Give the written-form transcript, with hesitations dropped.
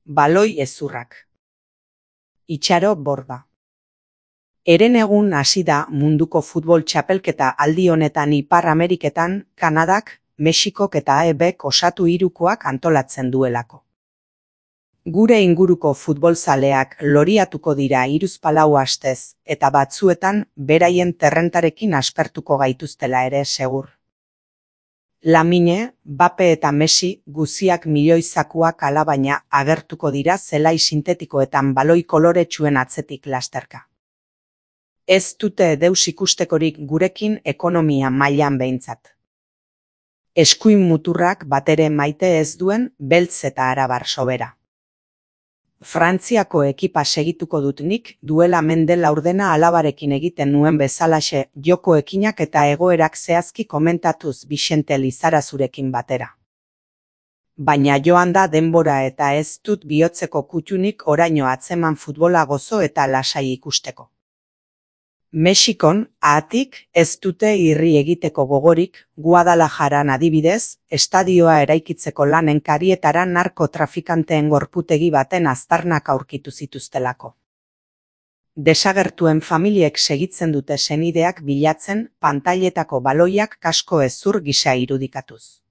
baloi hezurrak. Itxaro Borda. Herenegun hasi da munduko futbol txapelketa aldi honetan Ipar Ameriketan, Kanadak, Mexikok eta AEBek osatu hirukoak antolatzen duelako. Gure inguruko futbolzaleak loriatuko dira 3-4 astez, eta batzuetan beraien terrentarekin aspertuko gaituztela ere segur. Lamine, Bape eta Messi guziak milioizakuak alabaina agertuko dira zelai sintetikoetan baloi koloretsuen atzetik lasterka. Ez dute deus ikustekorik gurekin ekonomia mailan behintzat. Eskuin muturrak batere maite ez duen beltz eta arabar sobera. Frantziako ekipa segituko dut nik duela mende laurdena alabarekin egiten nuen bezalaxe joko ekinak eta egoerak zehazki komentatuz Bixente Lizarazurekin batera. Baina joan da denbora eta ez dut bihotzeko kuttunik oraino atzeman futbola gozo eta lasai ikusteko. Mexikon, haatik, ez dute irri egiteko gogorik, Guadalajaran adibidez, estadioa eraikitzeko lanen karietara narkotrafikanteen gorputegi baten aztarnak aurkitu zituztelako. Desagertuen familiek segitzen dute senideak bilatzen pantailetako baloiak kasko hezur gisa irudikatuz.